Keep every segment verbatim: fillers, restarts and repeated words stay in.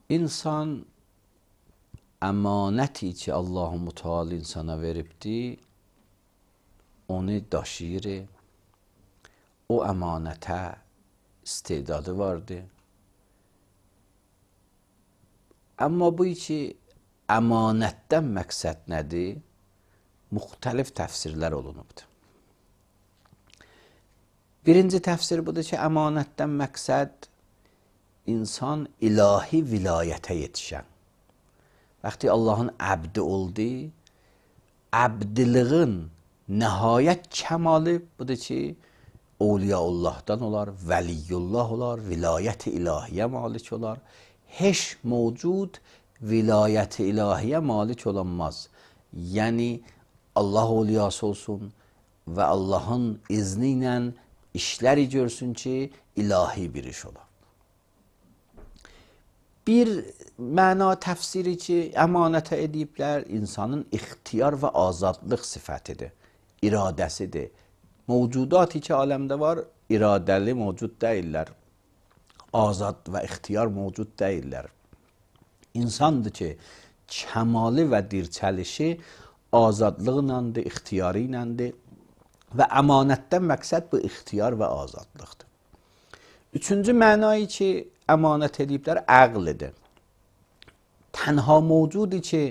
İnsan əmanəti ki Allah-u Müteal insana veribdi, onu daşıyır, o əmanətə istedadı vardı. Amma bu ki əmanətdən məqsəd nədir? Müxtəlif təfsirlər olunubdur. Birinci təfsir budur ki, əmanətdən məqsəd insan ilahi vilayətə yetişən. Vaxtı Allahın əbdi oldu, əbdiliğin nəhayət kəmalı budur ki, Awliyaullahdan olar, Vəliyullah olar, vilayət-i ilahiyyə malik olar. Heç mevcud vilayət-i ilahiyyə malik olanmaz. Yəni, Allah awliyası olsun və Allahın izni ilə işləri görsün ki, ilahi bir iş olar. Bir məna təfsiri ki, əmanətə ediblər, insanın ixtiyar və azadlıq sifətidir, iradəsidir. Mevcudat ki aləmdə var, iradəli mevcud deyirlər, azad və ixtiyar mevcud deyirlər. İnsandır ki, kəmalı və dirçəlişi azadlıqlandır, ixtiyarı iləndir və əmanətdən məqsəd bu ixtiyar və azadlıqdır. Üçüncü mənayı ki, əmanət ediblər, əqlidir. Tənha mevcudu ki,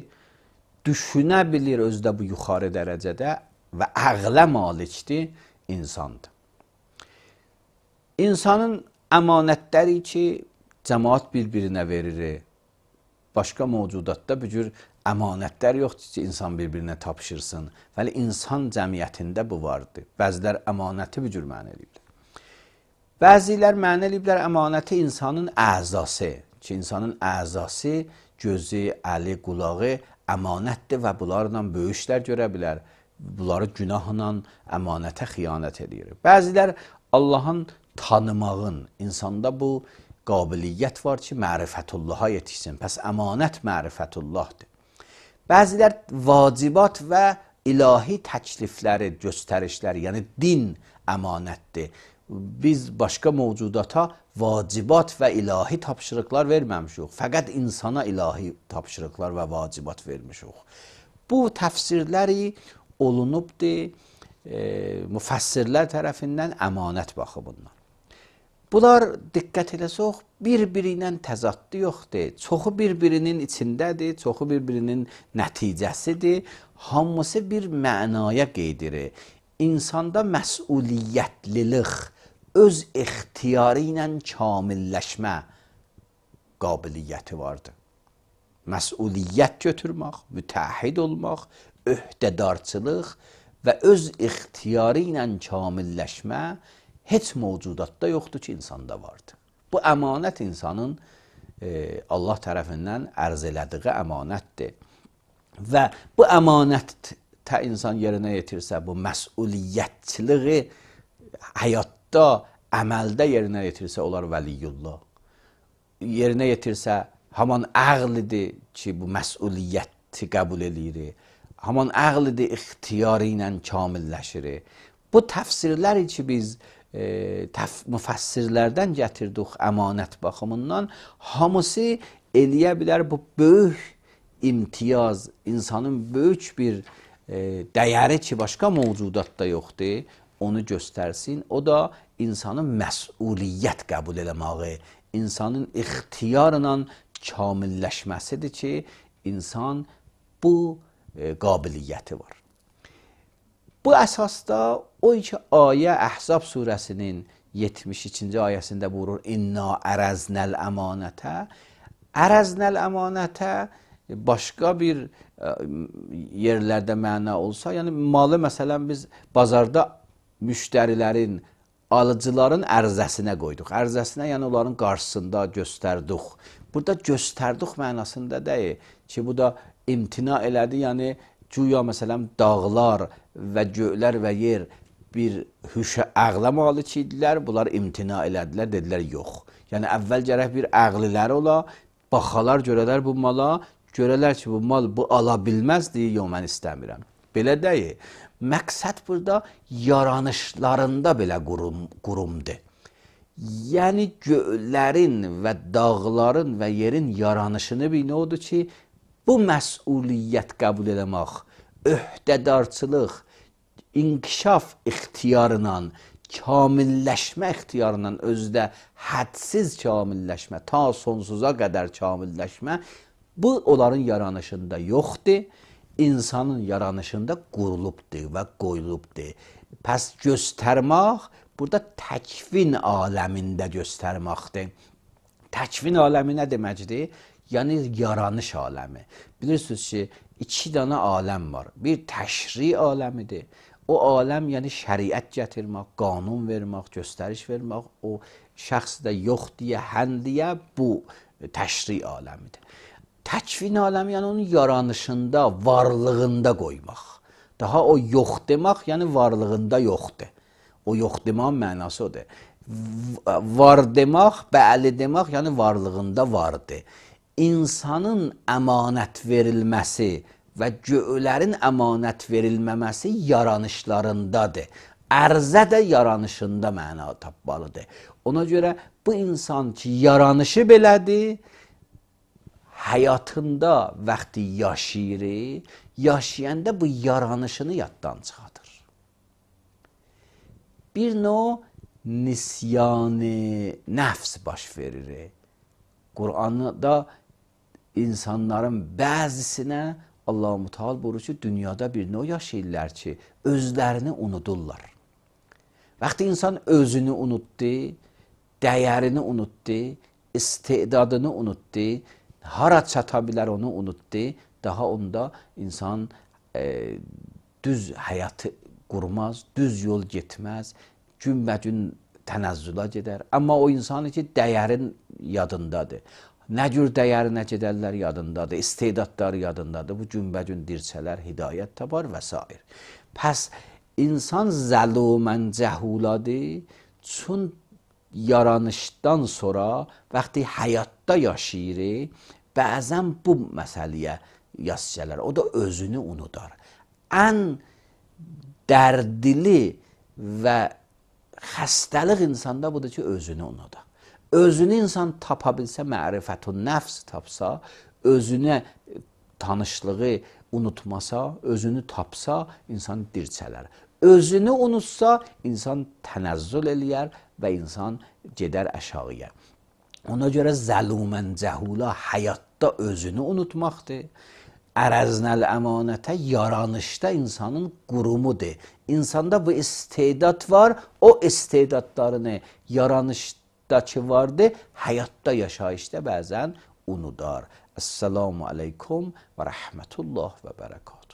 düşünə bilir özdə bu yuxarı dərəcədə və əqlə malikdir, insandır. İnsanın əmanətləri ki, cəmaat bir-birinə verir, başqa mevcudatda bu cür əmanətlər yoxdur ki, insan bir-birinə tapşırsın. Vəli insan cəmiyyətində bu vardır. Bəzilər əmanəti bu cür mənə ediblər. Bəzilər mənə ediblər əmanəti insanın əzası ki, insanın əzası, gözü, əli, qulağı əmanətdir və bunlarla böyük işlər görə bilər. Bunları günahla əmanətə xiyanət edir. Bəzilər Allahın tanımağın, insanda bu qabiliyyət var ki, mərifətullaha yetişsin. Pəs əmanət mərifətullahdır. Bəzilər vacibat və ilahi təklifləri, göstərişləri, yəni din əmanətdir. Biz başqa mevcudata vacibat və ilahi tapşırıqlar verməmişik. Fəqət insana ilahi tapşırıqlar və vacibat vermişik. Bu təfsirləri olunubdur e, müfəssirlər tərəfindən əmanət baxımından. Bunlar diqqət eləsək, bir-biri ilə təzadlı yoxdur. Çoxu bir-birinin içindədir, çoxu bir-birinin nəticəsidir. Hamısı bir mənaya qeydirir. İnsanda məsuliyyətlilik, öz ixtiyarı ilə kamilləşmə qabiliyyəti vardır. Məsuliyyət götürmək, mütəhhid olmaq, öhdədarçılıq və öz ixtiyarı ilə kamilləşmə heç mevcudatda yoxdur ki, insanda vardır. Bu əmanət insanın e, Allah tərəfindən ərz elədiyi əmanətdir. Və bu əmanətdə insan yerinə yetirsə, bu məsuliyyətçiliği həyatda, əməldə yerinə yetirsə, olar vəliyullah. Yerinə yetirsə, haman əqlidir ki, bu məsuliyyəti qəbul edir. Haman əqlidir, ixtiyarı ilə kamilləşir. Bu təfsirləri ki, biz e, təf müfəssirlərdən gətirdik əmanət baxımından, hamısı eləyə bilər bu böyük imtiyaz, insanın böyük bir e, dəyəri ki, başqa mevcudatda yoxdur, onu göstərsin. O da insanın məsuliyyət qəbul eləməyi, insanın ixtiyarla kamilləşməsidir ki, insan bu e, qabiliyyəti var. Bu əsasda o iki ayə Əhzab surəsinin yetmiş ikinci ayəsində buyurur, İnna ərəznəl əmanətə. Ərəznəl əmanətə başqa bir ə, yerlərdə məna olsa, yəni malı məsələn biz bazarda müştərilərin, alıcıların ərzəsinə qoyduq. Ərzəsinə, yəni onların qarşısında göstərdik. Burada göstərdik mənasında deyil ki, bu da imtina elədi, yəni güya məsələn dağlar və göylər və yer bir hüşə əqlə malik idilər, bunlar imtina elədilər, dedilər yox. Yəni əvvəl gərək bir əqliləri ola, baxalar görələr bu mala, görələr ki, bu mal bu ala bilməzdir, yox mən istəmirəm. Belə deyil. Məqsəd burada yaranışlarında belə qurum, qurumdur. Yəni göylərin və dağların və yerin yaranışını bir nə odur ki, bu məsuliyyət qəbul eləmək, öhdədarçılıq, inkişaf ixtiyarla, kamilləşmə ixtiyarla özdə hədsiz kamilləşmə, ta sonsuza qədər kamilləşmə, bu onların yaranışında yoxdur, insanın yaranışında qurulubdur və qoyulubdur. Pəs göstərmək, burada təkvin aləmində göstərməkdir. Təkvin aləmi nə deməkdir? Yəni yaranış aləmi. Bilirsiniz ki, iki dənə aləm var. Bir təşri aləmidir. O aləm yəni şəriət gətirmək, qanun vermək, göstəriş vermək, o şəxsdə yox deyə, hän deyə bu təşri aləmidir. Təkvin aləmi yəni onun yaranışında, varlığında qoymaq. Daha o yox demək, yəni varlığında yoxdur. O yox deməyin mənası odur. Var demək, bəli demək, yəni varlığında vardır. İnsanın əmanət verilməsi və göylərin əmanət verilməməsi yaranışlarındadır. Ərzə də yaranışında məna tapmalıdır. Ona görə bu insan ki, yaranışı belədir, həyatında vaxtı yaşayır, yaşayanda bu yaranışını yaddan çıxardır. Bir növ nisyan-ı nəfs baş verir. Qur'anda insanların bəzisinə Allah-u Teala buyurur ki, dünyada bir növ yaşayırlar ki, özlərini unudurlar. Vaxtı insan özünü unutdu, dəyərini unutdu, istedadını unutdu, hara çata bilər onu unutdu, daha onda insan e, düz həyatı qurmaz, düz yol getməz, günbə-gün tənəzzüla gedər. Amma o insan ki, dəyərin yadındadır. Nə cür dəyərinə gedərlər yadındadır, istedadları yadındadır. Bu günbə-gün dirçələr, hidayət tapar və s. Pəs insan zəlumən cəhuladır, çün yaranışdan sonra vaxtı həyatda yaşayır, bəzən bu məsələyə yas gələr. O da özünü unudar. Ən dərdli və xəstəlik insanda budur ki, özünü unudar. Özünü insan tapa bilsə, mərifətun nəfs tapsa, özünə tanışlığı unutmasa, özünü tapsa, insan dirçələr. Özünü unutsa, insan tənəzzül eləyər və insan gedər əşağıya. Ona görə zəlumən cəhula həyatda özünü unutmaqdır. Ərəznəl əmanətə yaranışda insanın qurumudur. İnsanda bu istedad var, o istedadlarını yaranışdakı vardı, həyatda yaşayışda bəzən unudar. Əssalamu aleykum və rəhmətullah və bərəkatuhu.